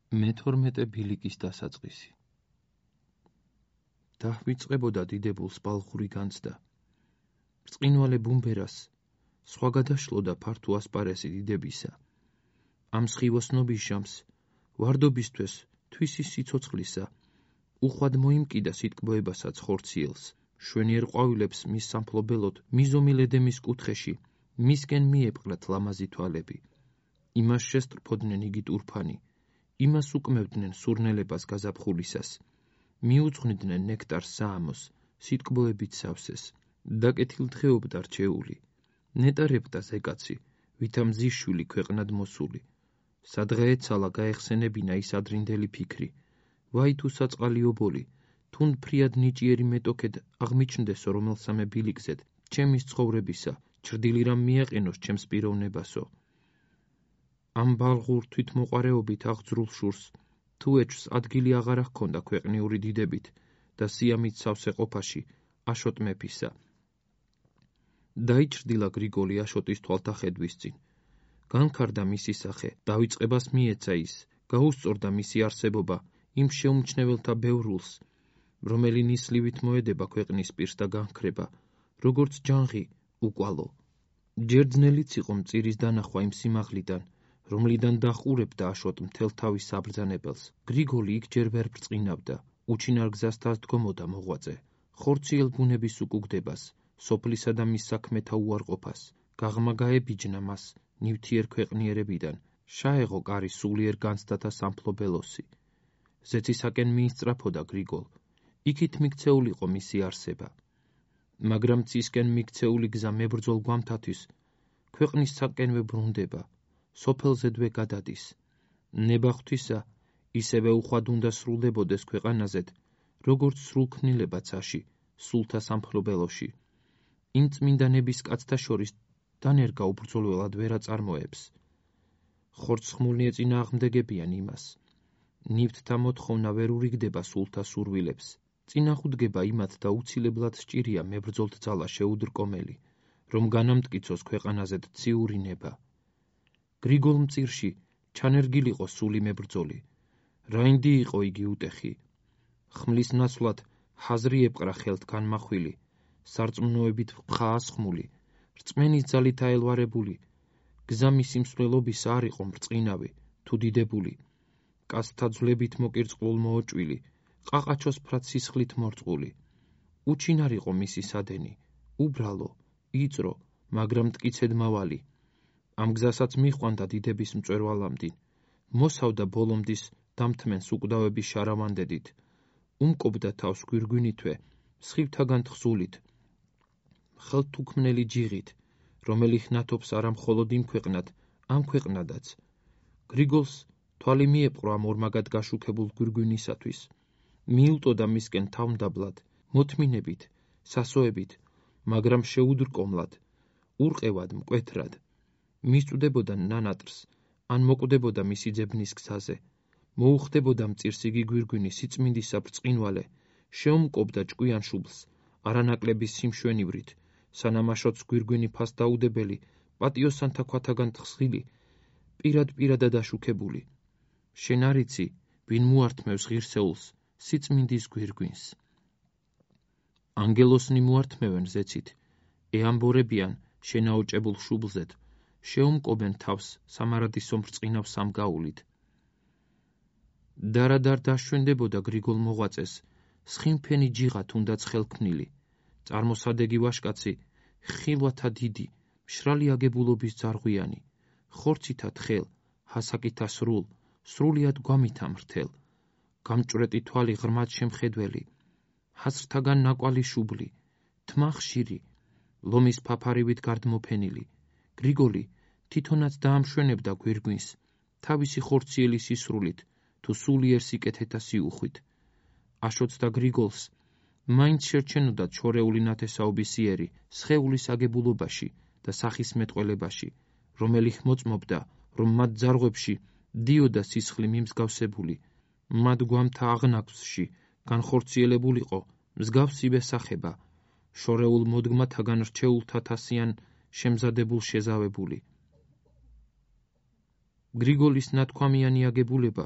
მე-12 ბილიკის დასაწყისი. დაჰვიწყებოდა დიდებულს ბალღური განცდა. ბრწყინვალე ბუმბერას სხვა გადაშლოდა ფართო ასპარესი დიდებისა. ამ სხივოსნობის ჟამს, ვარდობისთვის თვისი სიცოცხლისა, უხვად მოიმკიდა სიტკბოებასაც ხორციელს, შვენიერ ყვავილებს მის სამფლობელოდ, მიზომი ლედემის კუთხეში, მისკენ მიეპყრათ ლამაზი თვალები. იმას შესტრფოდნენ იგი ტურფანი, იმას უკმევდნენ სურნელებას გაზაფხულისას, მიუძღვნიდნენ ნექტარს საამოს, სიტკბოებით სავსეს, დაკეთილდღეობდა რჩეული, ნეტარებდა ზეკაცი, ვითა მზის შვილი ქვეყნად მოსული. სადღა ეცალა გაეხსენებინა ის ადრინდელი ფიქრი, ვაი თუ საწყალი ობოლი, თუნ ფრიად ნიჭიერი მეტოქედ აღმიჩნდესო რომელსამე ბილიკზედ, ჩემის ცხოვრებისა, ჩრდილი რამ მიაყენოს ჩემს პიროვნებასო. ამ ბალღურ თვითმოყვარეობით აღძრულ შურს, თუ ეჭვს ადგილი აღარ ჰქონდა ქვეყნიური დიდებით და სიამით სავსე ყოფაში აშოტ მეფისა. დაიჭრდილა გრიგოლი აშოტის თვალთახედვის წინ. განქარდა მისი სახე, დავიწყებას მიეცა ის, გაუსწორდა მისი არსებობა იმ შეუმჩნეველთა ბევრულს, რომელი ნისლივით მოედება ქვეყნის პირს და განქრება, როგორც ჯანღი უკვალო. ჯერძნელიც იყო მწირის დანახვა იმ სიმაღლიდან, რომლიდან დაჰყურებდა აშოტ მთელ თავის საბრძანებელს. გრიგოლი იქ ჯერ ვერ ბრწყინავდა, უჩინარ გზას დასდგომოდა მოღვაწე, ხორციელ ბუნების უკუგდებას, სოფლისა და მის საქმეთა უარყოფას, გაღმა გაებიჯნა მას ნივთიერ ქვეყნიერებიდან, შაეღო კარი სულიერ განცდათა სამფლობელოსი. ზეცისაკენ მიისწრაფოდა გრიგოლ, იქით მიქცეულიყო მისი არსება. მაგრამ ცისკენ მიქცეული გზა მებრძოლ გვამთათვის, ქვეყნის საკენვე ბრუნდება, სოფელზედვე გადადის. ნება ღვთისა, ისევე უხვად უნდა სრულდებოდეს ქვეყანაზედ, როგორც სრულქმნილება ცაში, სულთა სამფლობელოში. იმ წმინდანების კაცთა შორის დანერგა უბრძოლველად ვერ აწარმოებს. ხორცხმული ეწინააღმდეგებიან იმას. ნივთთა მოთხოვნა ვერ ურიგდება სულთა სურვილებს. წინახუდგება იმათ და უცილებლად სჭირია მებრძოლთ ძალა შეუდრკომელი, რომ განამტკიცოს ქვეყანაზედ ციური ნება. გრიგოლ მწირში ჩანერგილიყო სული მებრძოლი. რაინდი იყო იგი უტეხი. ხმლის ნაცვლად ჰაზრი ეპყრა ხელთ განმახვილი, სარწმუნოებით ფხაასხმული, რწმენის ძალით აელვარებული, გზა მისი მსვლელობის არ იყო მრწყინავი, თუ დიდებული, კაცთა ძვლებით მოკირწყლულ მოოჭვილი, ყაყაჩოს ფრად სისხლით მორწყული. უჩინარ იყო მისი სადენი, უბრალო, იწრო, მაგრამ მტკიცედ მავალი. ამ გზასაც მიჰყვანდა დიდების მწვერვალამდინ, მოსავდა ბოლომდის დამთმენს უკვდავების შარავანდედით, უმკობდა თავს გვირგვინითვე, სხივთაგან თხზულით, ხელთუქმნელი ჯიღით, რომელი ხნათობს არა მხოლოდ იმ ქვეყნად, ამ ქვეყნადაც. გრიგოლს თვალი მიეპყრო ამ ორმაგად გაშუქებულ გვირგვინისათვის. მიილტოდა მისკენ თავმდაბლად, მოთმინებით, სასოებით, მაგრამ შეუდრკომლად, ურყევად, მკვეთრად. მისწვდებოდა ნანატრს, ან მოკვდებოდა მისი ძებნის გზაზე. მოუხდებოდა მწირს იგი გვირგვინი სიწმინდისა ბრწყინვალე, შეუმკობდა ჭკვიან შუბლს, არანაკლების სიმშვენივრით, სანამ აშოტს გვირგვინი ფასდაუდებელი, პატიოსანთა ქვათაგან თხზილი, პირად-პირადად აშუქებული. შენ არ იცი, ვინ მოართმევს ღირსეულს, სიწმინდის გვირგვინს. ანგელოსნი მოართმევენ ზეცით, ეამბორებიან შენაოჭებულ შუბლზედ, შეუმკობენ თავს სამარადისო ბრწყინავ სამგაულით. დარადარ დაშვენდებოდა გრიგოლ მოღვაწეს, სხიმფენი ჯიღა თუნდაც ხელქმნილი, წარმოსადეგი ვაშკაცი, ხილვათა დიდი, მშრალი აგებულობის ძარღვიანი, ხორცითა თხელ, ჰასაკითა სრულ, სრულიად გვამითა მრთელ, გამჭვრეტი თვალი ღრმად შემხედველი, ჰასრთაგან ნაკვალი შუბლი, თმა ხშირი, ლომის ფაფარივით გარდმოფენილი. გრიგოლი თვითონაც დაამშვენებდა გვირგვინს, თავისი ხორციელი სისრულით, თუ სულიერ სიკეთეთა სიუხვით. აშოტს და გრიგოლს მაინც შერჩენოდათ შორეული ნათესაობის იერი სხეულის აგებულობაში და სახის მეტყველებაში, რომელი ხმოწმობდა, რომ მათ ძარღვებში დიოდა სისხლი მიმსგავსებული, მათ გვამთა აღნაგვსში განხორციელებულიყო მსგავსივე სახება, შორეულ მოდგმათაგან რჩეულთა თასიან შემზადებულ შეზავებული. გრიგოლის ნათქვამიანი აგებულება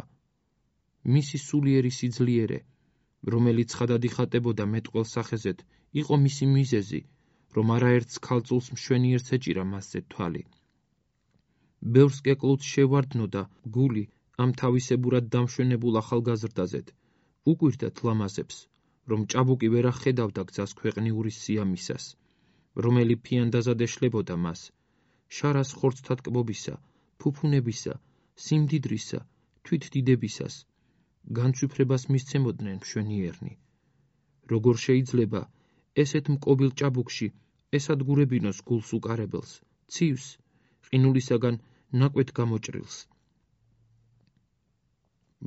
მისი სულიერი სიძლიერე, რომელიც ცხადად იხატებოდა მეტყველს სახეზედ, იყო მისი მიზეზი, რომ არაერთს ქალწულს მშვენიერს ეჭირა მასზე თვალი. ბევრს კეკლუც შევარდნოდა გული ამ თავისებურად დამშვენებულ ახალგაზრდაზედ, უკვირდათ ლამაზებს, რომ ჭაბუკი ვერ ახედავდა გზას ქვეყნიურის სიამისას, რომელი ფიანდაზად ეშლებოდა მას, შარას ხორცთა ტკბობისა, ფუფუნებისა, სიმდიდრისა, თვითდიდებისას, განცვიფრებას მისცემოდნენ მშვენიერნი. როგორ შეიძლება ესეთ მკობილ ჭაბუკში ესადგურებინოს გულს უკარებელს, ცივს, ყინულისაგან ნაკვეთ გამოჭრილს.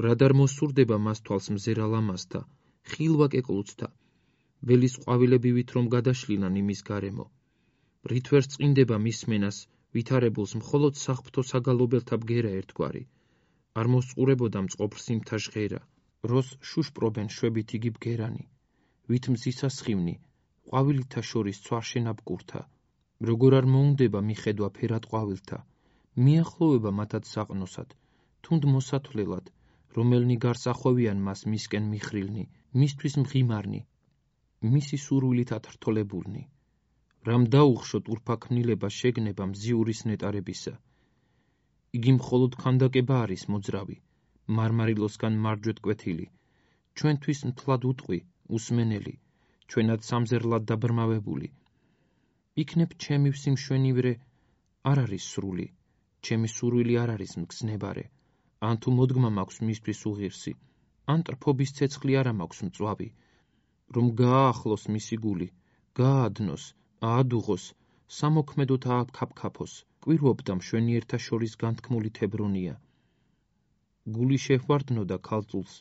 რად არ მოსურდება მას თვალს მზერა ლამაზთა, ხილვა კეკლუცთა, ველის ყვავილებივით რომ გადაშლილან იმის გარემო. რით ვერ წყინდება მისმენას ვითარებულს მხოლოდ საღვთო საგალობელთა ბგერა ერთგვარი, არ მოსწყურებოდა მწყობრ სიმთა ჟღერა, როს შუშპრობენ შვებით იგი ბგერანი, ვით მზისა სხივნი, ყვავილთა შორის ცვარშენა ბკურთა, როგორ არ მოუნდება მიხედვა ფერად ყვავილთა, მიახლოვება მათად საყნოსად, თუნდ მოსათვლელად, რომელნი გარს ახვევიან მას მისკენ მიხრილნი, მისთვის მღიმარნი, მისი სურვილით ათრთოლებულნი. რამ დაუხშოთ ურფაქნილება შეგნება მზიურის ნეტარებისა. იგი მხოლოდ ქანდაკება არის მოძრავი, მარმარილოსგან მარჯვეთ კვეთილი, ჩვენთვის მთლად უტყვი, უსმენელი, ჩვენად სამზერლად დაბრმავებული. იქნებ ჩემი სიმშვენივრე არ არის სრული, ჩემი სურვილი არ არის მგზნებარე, ან თუ მოდგმა მაქვს მისთვის უღირსი, ან ტრფობის ცეცხლი არა მაქვს მწვავი, რომ გააახლოს მისი გული, გაადნოს, აადუღოს, სამოქმედოდ ააფქაფქაფოს, კვირვობდა მშვენიერთა შორის განთქმული თებრონია. გული შეჰვარდნოდა ქალწულს,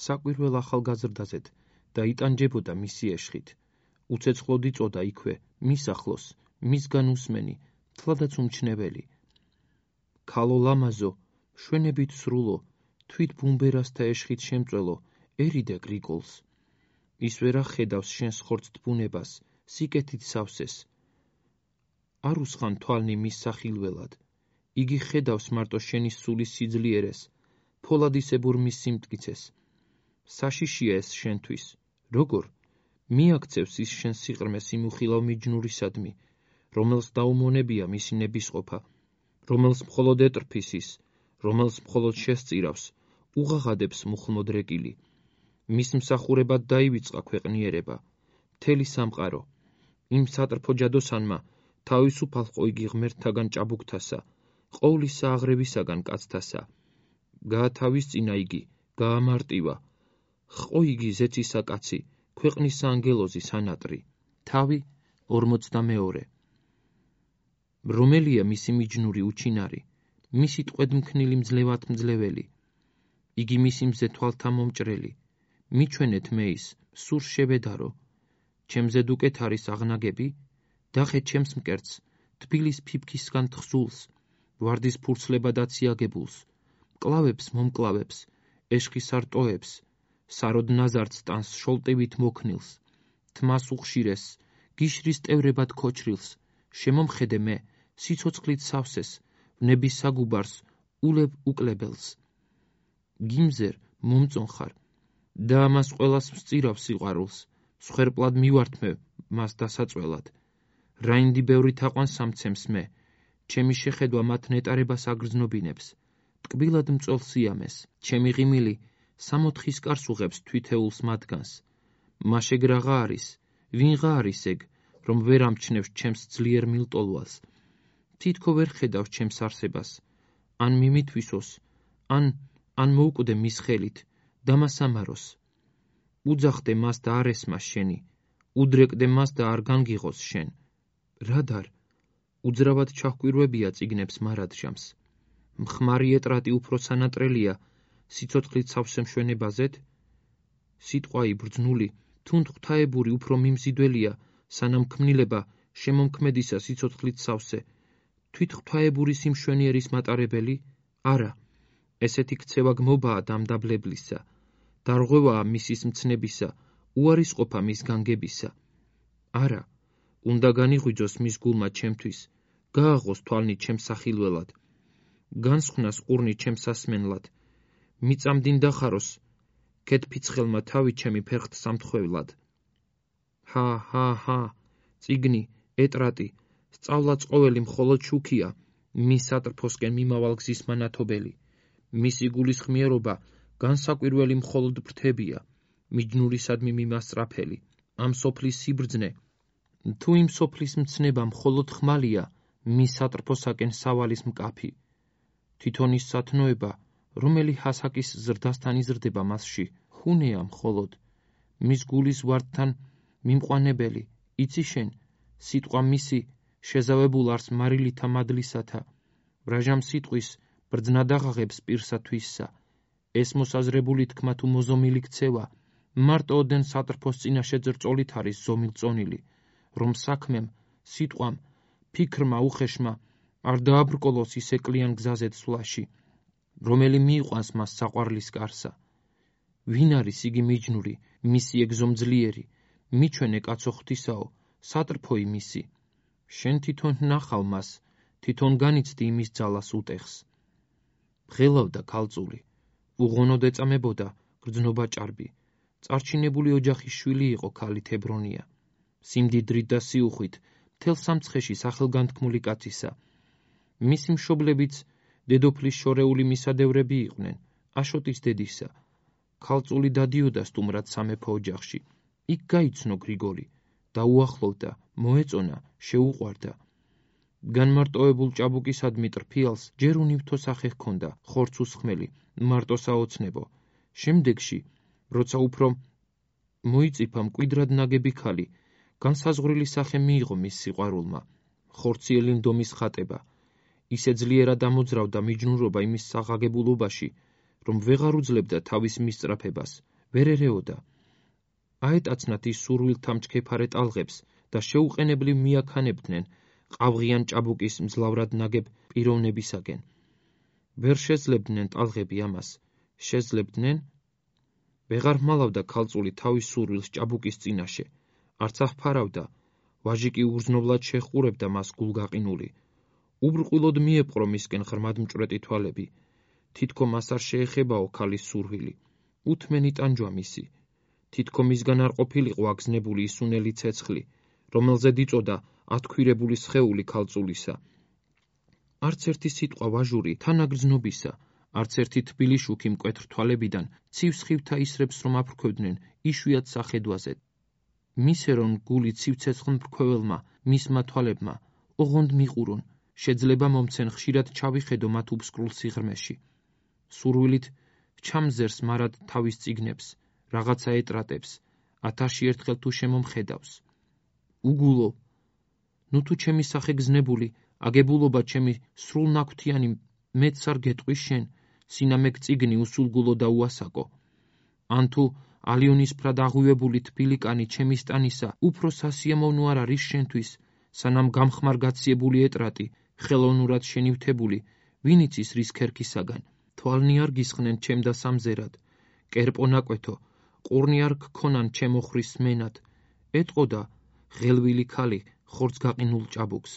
საკვირველ ახალგაზრდაზედ და იტანჯებოდა მისი ეშხით, უცეცხლოდ იწოდა იქვე, მის ახლოს, მისგან უსმენი, თლადაც უმჩნეველი. ქალო ლამაზო, შვენებით სრულო, თვით ბუმბერასთა ეშხით შემწველო, ერიდე გრიგოლს. ის ვერ ახედავს შენს ხორცთ ბუნებას, სიკეთით სავსეს. არ უსხან თვალნი მის სახილველად, იგი ხედავს მარტო შენი სულის სიძლიერეს, ფოლადისებურ მის სიმტკიცეს. საშიშია ეს შენთვის, როგორ? მიაქცევს ის შენ სიყრმეს იმ უხილავ მიჯნურისადმი, რომელს დაუმონებია მისი ნებისყოფა, რომელს მხოლოდ ეტრფის ის, რომელს მხოლოდ შესწირავს, უღაღადებს მუხლმოდრეკილი. მის მსახურებად დაივიწყა ქვეყნიერება, მთელი სამყარო. იმ სატრფო ჯადოსანმა თავისუფალ ყო იგი ღმერთთაგან ჭაბუკთასა, ყოვლისა აღრევისაგან კაცთასა. გაათავისწინა იგი, გაამარტივა, ყო იგი ზეცისა კაცი, ქვეყნის ანგელოზის ანატრი. თავი 42. რომელია მისი მიჯნური უჩინარი, მისი ტყვედმქნილი მძლევად-მძლეველი. იგი მისი მზე თვალთა მომჭრელი. მიჩვენეთ მეის, სურს შევედარო. ჩემზე დუკეთ არის აღნაგები, დახე ჩემს მკერდს, თბილის ფიფქისგან თხზულს, ვარდის ფურცლებად აციაგებულს, მკლავებს მომკლავებს, ეშხის არტოებს, საროდ ნაზარდს ტანს შოლტივით მოქნილს, თმას უხშირეს, გიშრის ტევრებად ქოჩრილს, შემომხედე მე, სიცოცხლით სავსეს, ვნების საგუბარს, ულებ უკლებელს. გიმზერ მომწონხარ, და ამას ყველას ვსწირავ სიყვარულს, მსხვერპლად მივართმევ მას დასაწველად. რაინდი ბევრი თაყვანს ამცემს მე, ჩემი შეხედვა მათ ნეტარებას აგრძნობინებს, ტკბილად მწველ სიამეს, ჩემი ღიმილი სამოთხის კარს უღებს თვითეულს მათგანს. მაშეგ რაღა არის, ვინღა არის ეგ, რომ ვერ ამჩნევს ჩემს ძლიერ მილტოლვალს, თითქო ვერ ხედავს ჩემს არსებას, ან მიმითვისოს, ან მოუკვდე მის ხელით, დამასამაროს. უძახდე მას და არ ესმას შენი, უდრეკდე მას და არ განგიღოს შენ. რადარ? უძრავად ჩაჰკვირვებია წიგნებს მარადჟამს. მხმარი ეტრატი უფრო სანატრელია, სიცოცხლით სავსე მშვენებაზეთ? სიტყვაი ბრძნული, თუნდ ღვთაებური უფრო მიმზიდველია, სანამ ქმნილება შემომქმედისა სიცოცხლით სავსე, თვით ღვთაებური სიმშვენიერის მატარებელი? არა, ესეთი ქცევა გმობაა დამდაბლებლისა, დარღვევაა მისის მცნებისა, უარისყოფა მის განგებისა. არა, უნდა განიღვიძოს მის გულმა ჩემთვის, გააღოს თვალნი ჩემს სახილველად, განსხვნას ყურნი ჩემს სასმენლად, მიწამდინ დახაროს ქეთფიცხელმა თავი ჩემი ფერხთ სამთხვევლად. ჰა, წიგნი, ეტრატი, სწავლაც ყოველი მხოლოდ შუქია, მის სატრფოსკენ მიმავალ გზის მანათობელი. მისი გულისხმიერობა განსაკვირველი მხოლოდ ფრთებია, მიჯნურისადმი მიმასწრაფელი. ამ სოფლის სიბრძნე, თუ იმ სოფლის მცნება მხოლოდ ხმალია, მის სატრფოსაკენ სავალის მკაფი. თვითონ ის სათნოება, რომელი ჰასაკის ზრდასთან იზრდება მასში, ხუნეა მხოლოდ. მის გულის ვარდთან მიმყვანებელი, იცი შენ, სიტყვა მისი შეზავებულ არს მარილითა მადლისათა. ბრაჟამ სიტყვის ბრძნად აღაღებს პირსა თვისსა. ეს მოსაზრებული თქმა თუ მოზომილი ქცევა, მარტო ოდენ სატრფოს წინაშე ძრწოლით არის ზომილწონილი, რომ საქმემ, სიტყვამ, ფიქრმა უხეშმა არ დააბრკოლოს ის ეკლიან გზაზე ცვლაში, რომელი მიიყვანს მას საყვარლის კარსა. ვინ არის იგი მიჯნური, მისი ეგზომძლიერი, მიჩვენე კაცო ღვთისაო, სატრფოი მისი. შენ თვითონ ნახავ მას, თვითონ განიცდი იმის ძალას უტეხს. ღელავდა ქალწული, უღონოდ ეწამებოდა გრძნობა ჭარბი. წარჩინებული ოჯახის შვილი იყო ქალი თებრონია. სიმდიდრით და სიუხვით, მთელ სამცხეში სახელგანთქმული კაცისა. მისი მშობლებიც დედოფლის შორეული მისადევრები იყვნენ, აშოტის დედისა. ქალწული დადიოდა სტუმრად სამეფო ოჯახში. იქ გაიცნო გრიგოლი, დაუახლოვდა, მოეწონა, შეუყვარდა. განმარტოებულ ჭაბუკისადმი ტრფიალს ჯერ უნივთო სახე ჰქონდა, ხორცს უსხმელი, მარტო საოცნებო. შემდეგში, როცა უფრო მოიწიფა მკვიდრად ნაგები ქალი, განსაზღვრილი სახე მიიღო მის სიყვარულმა, ხორციელი ნდომის ხატება. ისე ძლიერად ამოძრავდა მიჯნურობა იმის საღაგებულობაში, რომ ვეღარ უძლებდა თავის მისწრაფებას, ვერ ერეოდა. აეტაცნათ ის სურვილთა მჩქეფარე ტალღებს და შეუყენებლივ მიაქანებდნენ ყავღიან ჭაბუკის მძლავრად ნაგებ პიროვნებისაკენ. ვერ შეძლებდნენ ტალღები ამას, შეძლებდნენ? ვეღარ მალავდა ქალწული თავის სურვილს ჭაბუკის წინაშე, არც აღფარავდა, ვაჟი კი უგრძნობლად შეჰყურებდა მას გულგაყინული. უბრყვილოდ მიეპყრო მისკენ ღრმად მჭვრეტი თვალები. თითქო მას არ შეეხებაო ქალის სურვილი, უთმენი ტანჯვა მისი. თითქო მისგან არ ყოფილიყო აგზნებული ისუნელი ცეცხლი, რომელზე დიწოდა ათქვირებული სხეული ქალწულისა. არც ერთი სიტყვა ვაჟური თანაგრძნობისა, არც ერთი თბილი შუქი მკვეთრ თვალებიდან ცივ სხივთა ისრებს რომ აფრქვევდნენ იშვიათ სახედვაზე. მისერონ გული ცივცეცხლ მფრქვეველმა, მისმა თვალებმა, ოღონდ მიყურონ, შეძლება მომცენ ხშირად ჩავიხედო მათ უბსკრულ სიღრმეში. სურვილით ჩამზერს მარად თავის წიგნებს, რაღაცა ეტრატებს, 1000 ერთხელ თუ შემომხედავს. უგულო, ნუ თუ ჩემი სახე გზნებული, აგებულობა ჩემი სრულ ნაქვთიანი მეც არ გეტყვის შენ, სინამეგ წიგნი უსულგულო და უასაკო. ან თუ ალიონისფრად აღვივებული თბილი კანი ჩემი სტანისა უფრო სასიამოვნო არ არის შენთვის, სანამ გამხმარ გაციებული ეტრატი, ხელოვნურად შენივთებული, ვინ იცის რის ქერქისაგან, თვალნი არ გისხნენ ჩემ და სამზერად, კერპო ნაკვეთო, ყურნი არ გქონან ჩემო ხრის სმენად, ეტყოდა ღელვილი ქალი ხორცს გაყინულ ჭაბუკს.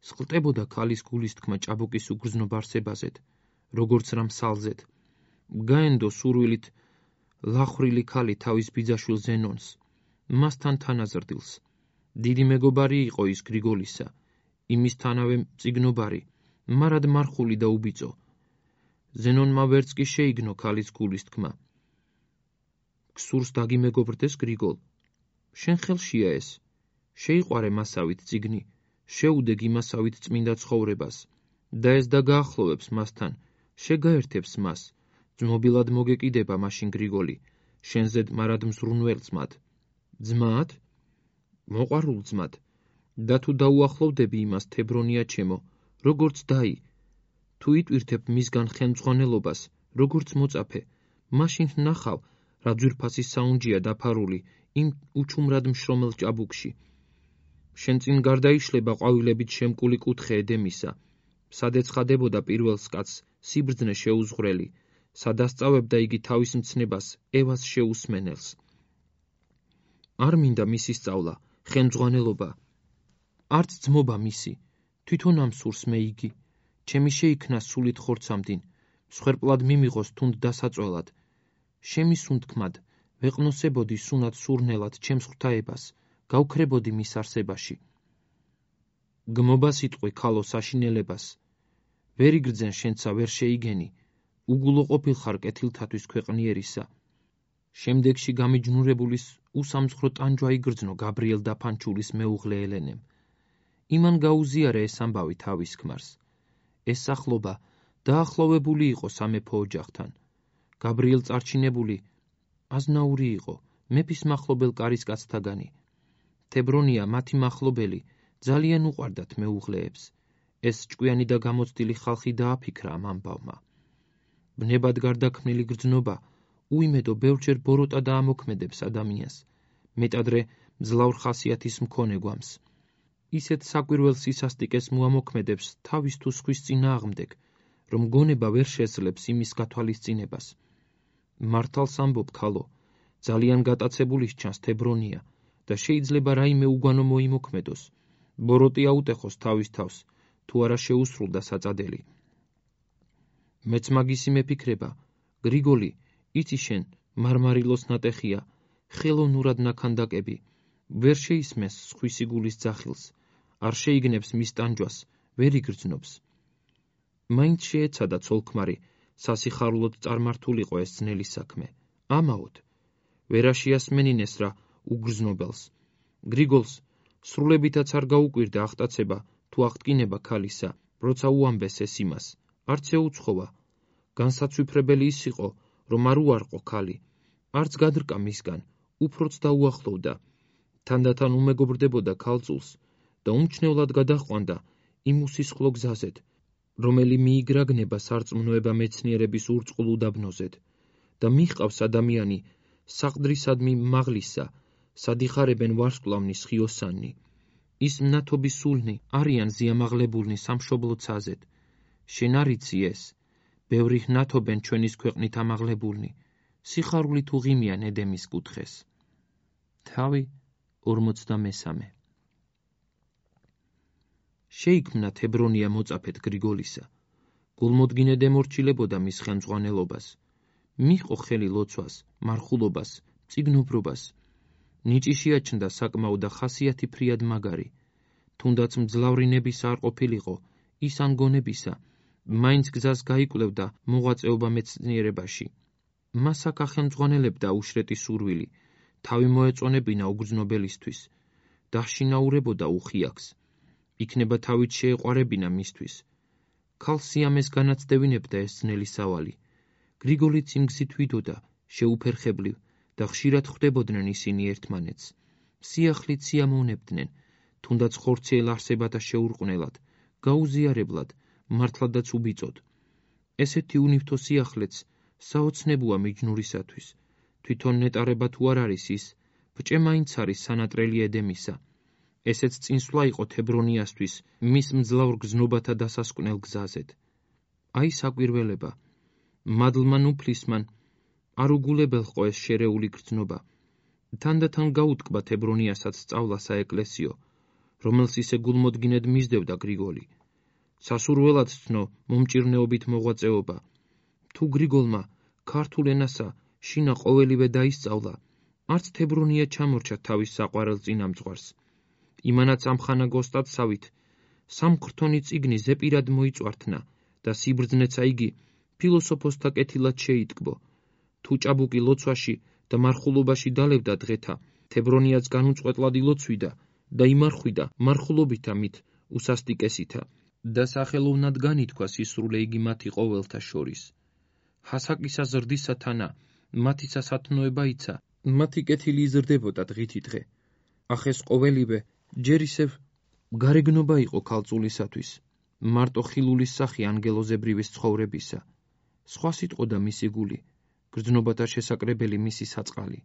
სყლტებოდა ქალის გულის თქმა ჭაბუკის უგრძნობ არსებაზეთ, როგორც რამ სალზეთ. გაენდო სურვილით ლახრილი ქალი თავის ბიძაშვილ ზენონს, მასთან თანაზრდილს. დიდი მეგობარი იყო ის გრიგოლისა, იმისთანავე წიგნობარი, მარად მარხული და უბიწო. ზენონმა ვერც კი შეიგნო ქალის გულის თქმა. გსურს დაგიმეგობრდეს გრიგოლ, შენ ხელშია ეს, შეიყვარე მასავით წიგნი, შეუდეგ იმასავით წმინდა ცხოვრებას, და ეს დაგაახლოვებს მასთან, შეგაერთებს მას, ძმობილად მოგეკიდება მაშინ გრიგოლი, შენზედ მარად მზრუნველ ძმად. ძმად? მოყვარულ ძმად, და თუ დაუახლოვდები იმას თებრონია ჩემო, როგორც დაი, თუ იტვირთებ მისგან ხელმძღვანელობას, როგორც მოწაფე, მაშინ ნახავ, რა ძვირფასი საუნჯეა დაფარული იმ უჩუმრად მშრომელ ჭაბუკში. შენ წინ გარდაიშლება ყვავილებით შემკული კუთხე ედემისა, სად ეცხადებოდა პირველს კაცს სიბრძნე შეუზღვრელი, სად ასწავებდა იგი თავის მცნებას ევას შეუსმენელს. არ მინდა მისი სწავლა, ხელმძღვანელობა, არც ძმობა მისი, თვითონ ამ სურს მე იგი, ჩემი შეიქმნა სულით ხორცამდინ, მსხვერპლად მიმიღოს თუნდ დასაწველად. შემისუნთქმად, ვეყნოსებოდი სუნად სურნელად ჩემს ღვთაებას, გავქრებოდი მის არსებაში. გმობა სიტყვი ქალო საშინელებას, ვერ იგრძენ შენცა ვერ შეიგენი, უგულო ყოფილხარ კეთილთათვის ქვეყნიერისა. შემდეგში გამიჯნურებულის უსამძღვრო ტანჯვა იგრძნო გაბრიელ დაფანჩულის მეუღლე ელენემ. იმან გაუზიარა ეს ამბავი თავის ქმარს. ეს სახლობა დაახლოვებული იყო სამეფო ოჯახთან. გაბრიელ წარჩინებული აზნაური იყო, მეფის მახლობელ კარისკაცთაგანი. თებრონია მათი მახლობელი ძალიან უყვარდათ მეუღლეებს. ეს ჭკვიანი და გამოცდილი ხალხი დააფიქრა ამ ამბავმა. ბნებად გარდაქმნილი გრძნობა უიმედო ბევრჯერ ბოროტა დაამოქმედებს ადამიანს, მეტადრე მძლავრ ხასიათის მქონე გვამს. ისეთ საკვირველ სისასტიკეს მოამოქმედებს თავის თუ სხვის წინააღმდეგ, რომ გონება ვერ შეძლებს იმის გათვალისწინებას. მართალს ამბობ ქალო, ძალიან გატაცებული სჩანს თებრონია და შეიძლება რაიმე უგვანო მოიმოქმედოს, ბოროტი აუტეხოს თავის თავს, თუ არა შეუსრულდა საწადელი. მეც მაგისი მეფიქრება, გრიგოლი, იცი შენ, მარმარილოს ნატეხია, ხელოვნურად ნაქანდაკები, ვერ შეისმენს სხვისი გულის ძახილს, არ შეიგნებს მის ტანჯვას, ვერ იგრძნობს. მაინც შეეცადა ცოლქმარი, სასიხარულოდ წარმართულიყო ეს ძნელი საქმე. ამაოდ, ვერ აშიასმენინეს რა უგრძნობელს. გრიგოლს სრულებითაც არ გაუკვირდა აღტაცება თუ აღტკინება ქალისა, როცა უამბეს ეს იმას, არც ეუცხოვა. განსაცვიფრებელი ის იყო, რომ არ უარყო ქალი, არც გადრკა მისგან, უფროც დაუახლოვდა. თანდათან უმეგობრდებოდა ქალწულს და უმჩნევლად გადაჰყვანდა იმ უსისხლო გზაზედ, რომელი მიიგრაგნება სარწმუნოება მეცნიერების ურწყულ უდაბნოზედ და მიჰყავს ადამიანი საყდრისადმი მაღლისა, სადიხარებენ ვარსკვლავნის ხიოსანი. ის მნათობის სულნი არიან ზიამაღლებულნი სამშობლო ცაზედ. შენ არ იცი ეს, ბევრი ნათობენ ჩვენის ქვეყნით ამაღლებულნი, სიხარული თუ ღიმიან ედემის კუთხეს. თავი 43. შეიქმნა თებრონია მოწაფედ გრიგოლისა. გულმოდგინედ ემორჩილებოდა მის ხელმძღვანელობას. მიჰყო ხელი ლოცვას, მარხულობას, წიგნობრობას. ნიჭი შეაჩნდა საკმაო და ხასიათი ფრიად მაგარი. თუნდაც მძლავრი ნებისა არ ყოფილიყო, ის ან გონებისა, მაინც გზას გაიკვლევდა მოღვაწეობა მეცნიერებაში. მას აქ ახელმძღვანელებდა უშრეტი სურვილი, თავი მოეწონებინა უგრძნობელისთვის, დაშინაურებოდა უხიაქს. იქნება თავით შეეყვარებინა მისთვის. ქალ სიამეს განაცდევინებდა ეს ძნელი სავალი. გრიგოლიც იმ გზით ვიდოდა, შეუფერხებლივ და ხშირად ხვდებოდნენ ისინი ერთმანეთს. სიახლით სიამოვნებდნენ, თუნდაც ხორციელ არსებათა შეურყვნელად, გაუზიარებლად, მართლადაც უბიწოდ. ესეთი უნივთო სიახლეც საოცნებუა მიჯნურისათვის. თვითონ ნეტარება თუ არ არის ის, ბჭე მაინც არის სანატრელი ედემისა. ესეც წინსვლა იყო თებრონიასთვის მის მძლავრ გზნობათა დასასკვნელ გზაზედ. აი საკვირველება, მადლმან უფლისმან არ უგულებელყო ეს შერეული გრძნობა. თანდათან გაუტკბა თებრონიასაც სწავლა საეკლესიო, რომელს ისე გულმოდგინედ მისდევდა გრიგოლი. სასურველად ცნო მომჭირნეობით მოღვაწეობა. თუ გრიგოლმა ქართულ ენასა შინა ყოველივე დაისწავლა, არც თებრონია ჩამორჩა თავის საყვარელ წინამძღვარს. იმანაც ამხანა გოსტატსავით სამქრთონი წიგნი ზეპირად მოიწვართნა და სიბრძნეცა იგი ფილოსოფოსთა კეთილად შეიტკბო. თუ ჭაბუკი ლოცვაში და მარხულობაში დალევდა დღეთა, თებრონიაც განუწყვეტლად ილოცვიდა და იმარხვიდა მარხულობითა მით უსასტიკესითა და სახელოვნად განითქვა სისრულე იგი მათი ყოველთა შორის. ჰასაკისა ზრდისა თანა მათი სასათნოება იცა, მათი კეთილი იზრდებოდა დღითი დღე. ახეს ყოველივე ჯერ ისევ გარეგნობა იყო ქალწულისათვის, მარტო ხილულის სახი ანგელოზებრივის ცხოვრებისა. სხვა სიტყოდა მისი გული, გრძნობათა შესაკრებელი მისი საწყალი.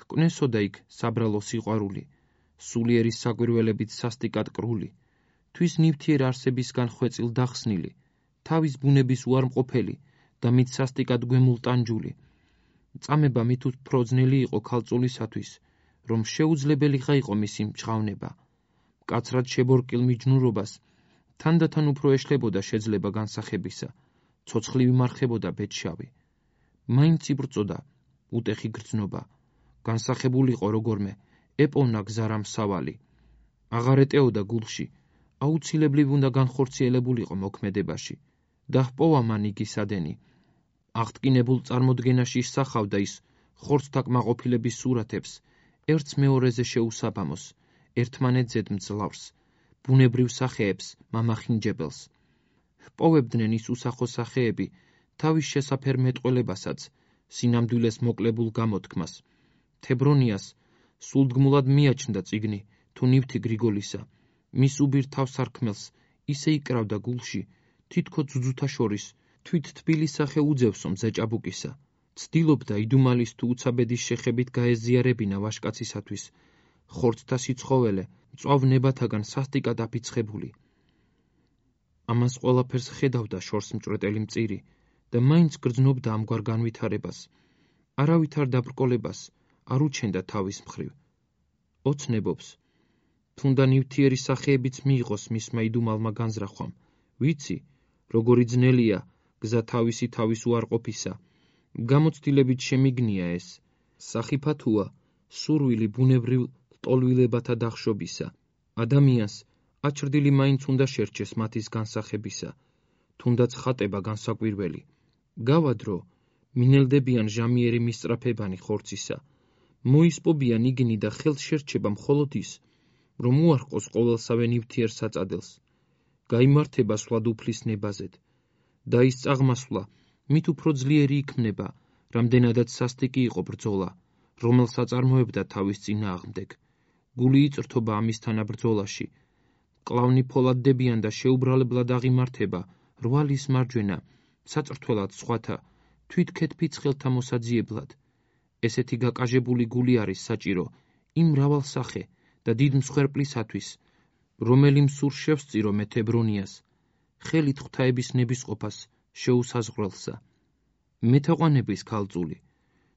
ჰკვნესოდა იქ საბრალო სიყვარული, სულიერი საკვირველებით სასტიკად კრული, თვის ნივთიერ არსებისგან ხვეწილ დახსნილი, თავის ბუნების უარმყოფელი და მით სასტიკად გვემულტანჯული. წამება მით უფრო ძნელი იყო ქალწულისათვის, რომ შეუძლებელიღა იყო მისი მჭღავნება. მკაცრად შებორკილ მიჯნურობას თანდათან უფრო ეშლებოდა შეძლება განსახებისა, ცოცხლივი მარხებოდა ბედშავი. მაინც იბრძოდა, უტეხი გრძნობა. განსახებულიყო როგორმე, ეპოვნა გზა რამსავალი. აღარ ეტეოდა გულში, აუცილებლივ უნდა განხორციელებულიყო მოქმედებაში. და ჰპოვა მან იგი სადენი. აღტკინებულ წარმოდგენაში ისახავდა ის ხორცთა კმაყოფილების სურათებს, ერთს მეორეზე შეუსაბამოს, ერთმანეთზე მძლავრს, ბუნებრივ სახეებს, მამახინჯებელს. ჰპოვებდნენ ის უსახო სახეები თავის შესაფერ მეტყველებასაც, სინამდვილეს მოკლებულ გამოთქმას. თებრონიას სულდგმულად მიაჩნდა წიგნი თუ ნივთი გრიგოლისა, მის უბირ თავსარქმელს ისე იკრავდა გულში, თითქო ძუძუთა შორის თვით თბილი სახე უძევსო მზე ჭაბუკისა. ცდილობდა იდუმალის თუ უცაბედის შეხებით გაეზიარებინა ვაჟკაცისათვის, ხორცთა სიცხოველე მწვავ ნებათაგან სასტიკად აფიცხებული. ამას ყველაფერს ხედავდა შორს მჭვრეტელი მწირი და მაინც გრძნობდა ამგვარ განვითარებას. არავითარ დაბრკოლებას არ უჩენდა თავის მხრივ. ოცნებობს, თუნდა ნივთიერი სახეებიც მიიღოს მისმა იდუმალმა განზრახვამ. ვიცი, როგორი ძნელია გზა თავის უარყოფისა. გამოცდილებით შემიგნია ეს. სახიფათოა სურვილი ბუნებრივ ლტოლვილებათა დახშობისა. ადამიანს აჩრდილი მაინც უნდა შერჩეს მათის განსახებისა, თუნდაც ხატება განსაკვირველი. გავადრო, მინელდებიან ჟამიერი მისწრაფებანი ხორცისა. მოისპობიან იგნი და ხელს შერჩება მხოლოდ ის, რომ უარყოს ყოველსავე ნივთიერ საწადეს. გაიმართება სვლად უფლის ნებაზედ და ის წაღმასვლა მით უფრო ძლიერი იქმნება, რამდენადაც სასტიკი იყო ბრძოლა, რომელს აწარმოებდა თავის წინააღმდეგ. გული იწრთობა ამისთანა ბრძოლაში. კლავნი ფოლადდებიან და შეუბრალებლად აღიმართება რვალის მარჯვენა, საწრთველად სხვათა, თვით ქეთფიცხელთა მოსაძიებლად. ესეთი გაკაჟებული გული არის საჭირო იმ მრავალსახე და დიდ მსხვერპლისათვის, რომელი მსურს შევსწირო მე თებრონიას, ხელით ღვთაების ნებისყოფას შეუსაზღვრელსა. მეთაყვანების ქალწული,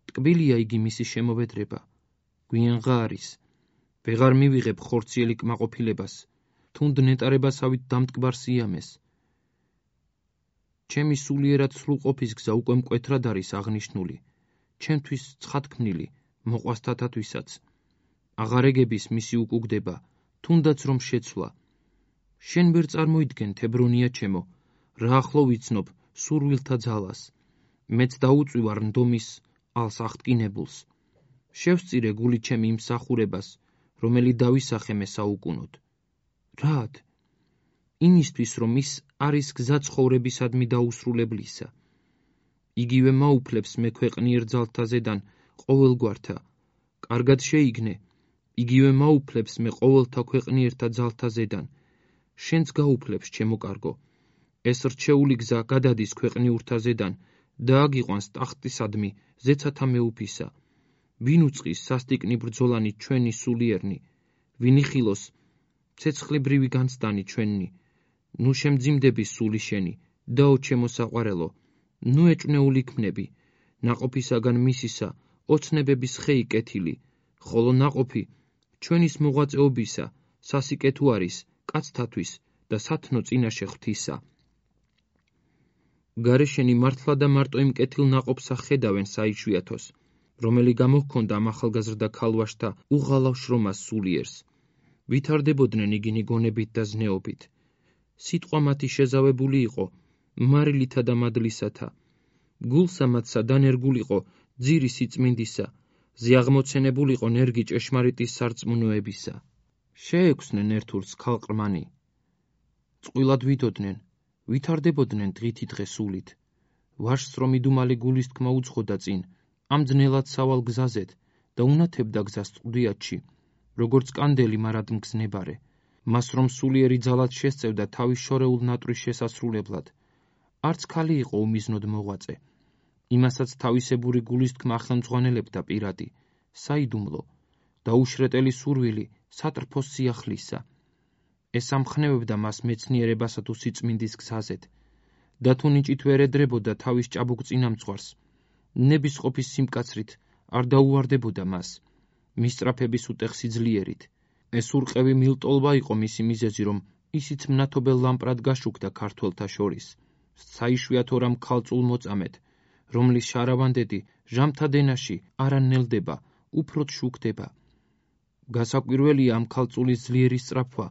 ტკბილია იგი მისი შემოვედრება, გვიანღა არის. ვეღარ მივიღებ ხორციელი კმაყოფილებას, თუნდ ნეტარებასავით დამტკბარ სიამეს. ჩემი სულიერად სრულყოფის გზა უკვე მკვეთრად არის აღნიშნული, ჩემთვის ცხადქმნილი, მოყვასთათათვისაც. აღარეგების მისი უკუგდება, თუნდაც რომ შეცვლა. შენ ვერ წარმოიდგენ, თებრონია ჩემო, რა ახლო ვიცნობ სურვილთა ძალას. მეც დაუწვივარ ნდომის ალს აღტკინებულს. შევსწირე გული ჩემი იმ მსახურებას, რომელი დავისახე მე საუკუნოდ. რად? იმისთვის, რომ ის არის გზა ცხოვრებისადმი დაუსრულებლისა. იგივე მაუფლებს მე ქვეყნიერ ძალთა ზედან ყოველგვართა. კარგად შეიგნე, იგივე მაუფლებს მე ყოველთა ქვეყნიერთა ძალთა ზედან. შენც გაუფლებს, ჩემო კარგო. ეს რჩეული გზა გადადის ქვეყნიურთა ზედან და აგიყვანს ტახტისადმი ზეცათა მეუფისა. ვინ უწყის სასტიკნი ბრძოლანი ჩვენი სულიერნი, ვინ იხილოს ცეცხლიბრივი განცდანი ჩვენი. ნუ შემძიმდები სული შენი, დაო ჩემო საყვარელო, ნუ ეჭვნეული ქმნები, ნაყოფისაგან მისისა ოცნებების ხეი კეთილი, ხოლო ნაყოფი ჩვენის მოღვაწეობისა სასიკეთო არის კაცთათვის და სათნო წინაშე ღვთისა. გარეშენი მართლა და მარტო იმ კეთილ ნაყოფსა ხედავენ საიშვიათოს, რომელი გამოჰქონდა ამ ახალგაზრდა ქალვაშთა უღალავ შრომას სულიერს. ვითარდებოდნენ იგინი გონებით და ზნეობით. სიტყვა მათი შეზავებული იყო მარილითა და მადლისათა. გულსა მათსა დანერგულიყო ძირი სიწმინდისა, ზიაღმოცენებულიყო ნერგი ჭეშმარიტის სარწმუნოებისა. შეექვსნენ ერთურს ქალყრმანი. წყვილად ვითოდნენ, ვითარდებოდნენ დღითი დღე სულით. ვაჟს რომ იდუმალი გულის თქმა უძღოდა წინ, ამ ძნელად სავალ გზაზედ და უნათებდა გზას წყდიათში, როგორც კანდელი მარადმგზნებარე. მას რომ სულიერი ძალად შესწევდა თავის შორეულ ნატვრის შესასრულებლად. არც ქალი იყო უმიზნოდ მოღვაწე. იმასაც თავისებური გულის თქმა ხელმძღვანელებდა პირადი, საიდუმლო, დაუშრეტელი სურვილი სატრფოს სიახლისა. ეს ამხნევებდა მას მეცნიერებასა თუ სიწმინდის გზაზედ, და თუ ნიჭით ვერ ედრებოდა თავის ჭაბუკ წინამძღვარს, ნებისყოფის სიმკაცრით არ დაუვარდებოდა მას, მისწრაფების უტეხსი ძლიერით. ეს ურყევი მილტოლვა იყო მისი მიზეზი, რომ ისიც მნათობელ ლამპრად გაშუქდა ქართველთა შორის. საიშვიათო რამ ქალწულ მოწამედ, რომლის შარავანდედი ჟამთა დენაში არა ნელდება, უფრო შუქდება. გასაკვირველია ამ ქალწულის ძლიერი სწრაფვა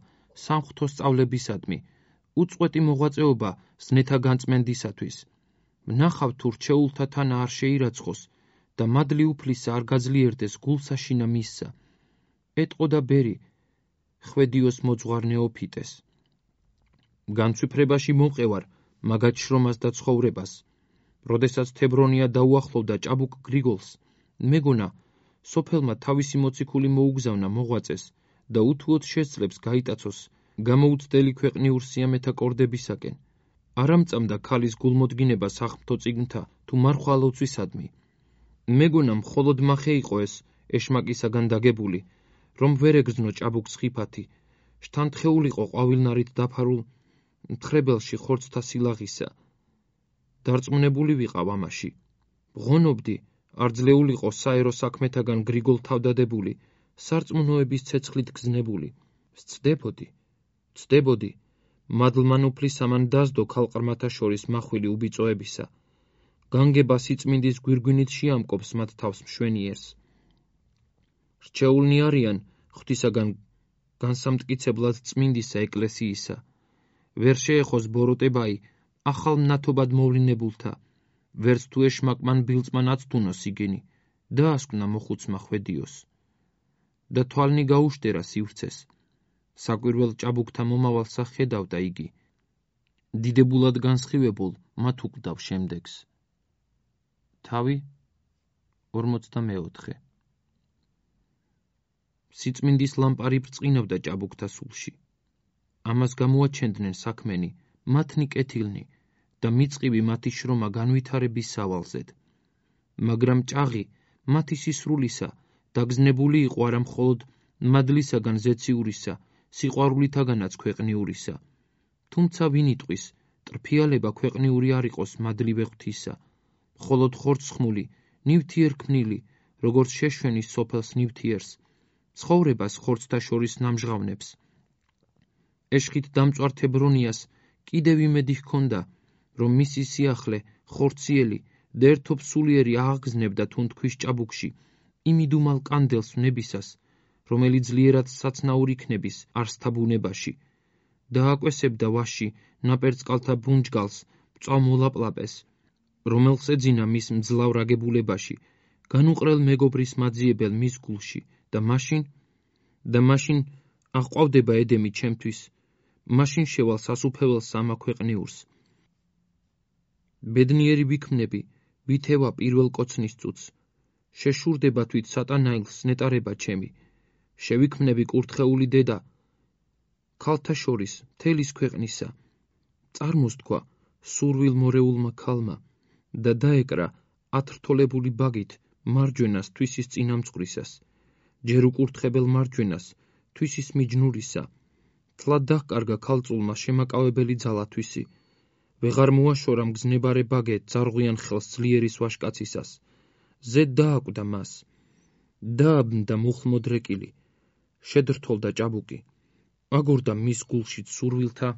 სამღვთო სწავლებისადმი, უწყვეტი მოღვაწეობა ზნეთა განწმენდისათვის. ვნახავთ თუ რჩეულთა თანა არ შეირაცხოს და მადლი უფლისა არ გაძლიერდეს გულსაშინა მისსა. ეტყო და ბერი ხვედიოს მოძღვარ ნეოფიტეს. განცვიფრებაში მოყევარ მაგათ შრომას და ცხოვრებას. როდესაც თებრონია დაუახლოვდა ჭაბუკ გრიგოლს, მეგონა სოფელმა თავისი მოციქული მოუგზავნა მოღვაწეს და უთუოდ შესძლებს გაიტაცოს გამოუცდელი ქვეყნიურ სიამეთა კორდებისაკენ. არ ამწამდა ქალის გულმოდგინება სახმთო წიგნთა თუ მარხვალოცვისადმი. მეგონა მხოლოდ მახე იყო ეს ეშმაკისაგან დაგებული, რომ ვერ ეგრძნო ჭაბუკს ხიფათი, შთანთხეულიყო ყვავილნარით დაფარულ მთხრებელში ხორცთა სილაღისა. დარწმუნებული ვიყავ ამაში. ვღონობდი, არ ძლეულიყო საერო საქმეთაგან გრიგოლ თავდადებული, სარწმუნოების ცეცხლით გზნებული. ვცდებოდი, მადლმან უფლის ამან დასდო ქალყრმათა შორის მახვილი უბიწოებისა. განგება სიწმინდის გვირგვინით შეამკობს მათ თავს მშვენიერს. რჩეულნი არიან ღვთისაგან განსამტკიცებლად წმინდისა ეკლესიისა. ვერ შეეხოს ბოროტებაი ახალ მნათობად მოვლინებულთა, ვერც თუ ეშმაკმან ბილწმან აცთუნოს იგენი, დაასკვნა მოხუცმა ხვედიოს. და თვალნი გაუშტერა სივრცეს. საკვირველ ჭაბუკთა მომავალსა ხედავდა იგი. დიდებულად განსხივებულ მათ უკლდავ შემდეგს. თავი 44. სიწმინდის ლამპარი ბრწყინავდა ჭაბუკთა სულში. ამას გამოაჩენდნენ საქმენი, მათნი კეთილნი და მიწყივი მათი შრომა განვითარების სავალზედ. მაგრამ ჭაღი მათი სისრულისა დაგზნებული იყო არა მხოლოდ მადლისაგან ზეციურისა, სიყვარულითაგანაც ქვეყნიურისა. თუმცა ვინ იტყვის, ტრფიალება ქვეყნიური არ იყოს მადლივე ღვთისა, მხოლოდ ხორცხმული, ნივთიერ ქმნილი, როგორც შეშვენის სოფელს ნივთიერს, ცხოვრებას ხორცთა შორის ნამჟღავნებს. ეშხით დამწვარ თებრონიას კიდევ იმედი ჰქონდა, რომ მისი სიახლე ხორციელი და ერთობ სულიერი აღგზნებდა თუნთქვის ჭაბუკში იმ იდუმალ კანდელს ვნებისას, რომელიც ძლიერად საცნაურ იქნების არსთა ბუნებაში. დააკვესებდა ვაში ნაპერწკალთა ბრუნჯგალს მწვავ მოლაპლაპეს, რომელს ეძინა მის მძლავრ აგებულებაში, განუყრელ მეგობრის მაძიებელ მის გულში და მაშინ აღყვავდება ედემი ჩემთვის, მაშინ შევალ სასუფეველს ამა ქვეყნიურს. ბედნიერი ვიქმნები, ვითევა პირველ კოცნის წუთს, შეშურდება თვით სატანაილს ნეტარება ჩემი, შევიქმნები კურთხეული დედა ქალთა შორის მთელის ქვეყნისა. წარმოს თქვა სურვილ მორეულმა ქალმა და დაეკრა ათრთოლებული ბაგით მარჯვენას თვისის წინამძღვრისას, ჯერ უკურთხებელ მარჯვენას თვისის მიჯნურისა. თლად დაჰკარგა ქალწულმა შემაკავებელი ძალა თვისი, ვეღარ მოაშორა მგზნებარე ბაგე ძარღვიან ხელს ძლიერის ვაშკაცისას. ზედ დააკვდა მას, დააბნდა მუხლმოდრეკილი, შედრთოლდა ჭაბუკი, აგორდა მის გულშიც სურვილთა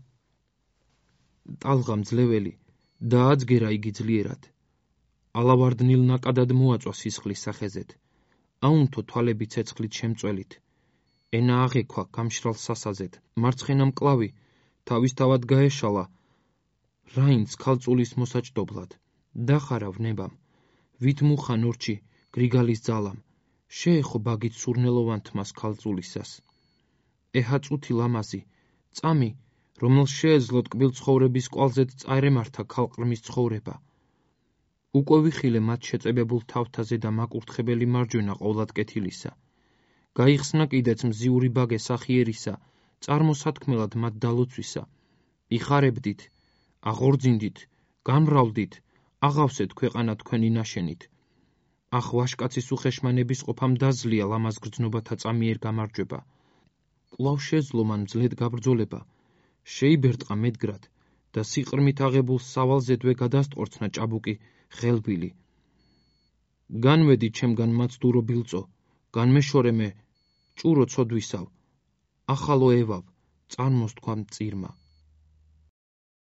ტალღა მძლეველი და adzგერა იგი ძლიერად. ალავარდნილ ნაკადად მოაწვა სისხლის სახეზეთ, აუნთო თვალები ცეცხლით შემწველით, ენა აღექვა გამშრალ სასაზეთ, მარცხენა მკლავი თავისთავად გაეშალა რაინც ქალწულის მოსაჭდობლად. დახარა ვნებამ, ვით მუხა ნორჩი გრიგალის ძალამ, შეეხო ბაგით სურნელოვან თმას ქალწულისას. ეჰა წუთი ლამაზი, წამი, რომელს შეეძლო ტკბილ ცხოვრების კვალზედ წაერემართა ქალყრმის ცხოვრება. უკვე ვიხილე მათ შეწებებულ თავთაზე და მაკურთხებელი მარჯვენა ყოვლად კეთილისა. გაიხსნა კიდეც მზიური ბაგე სახიერისა, წარმოსათქმელად მათ დალოცვისა. იხარებდით, აღორძინდით, განმრავლდით, აღავსეთ ქვეყანა თქვენი ნაშენით. ახ ვაშკაცის უხეშმანების ყოფამ დაზლია ლამაზ გრძნობათა წამიერ გამარჯვება. კვლავ შეძლო მან მძლედ გაბრძოლება, შეიბერტყა მედგრად და სიყრმით აღებულ სავალზედვე გადასტყორცნა ჭაბუკი ხელბილი. განვედი ჩემგან მაცდურო ბილწო, განმეშორე მე ჭურო ცოდვისავ, ახალო ევავ, წარმოს თქვა მწირმა.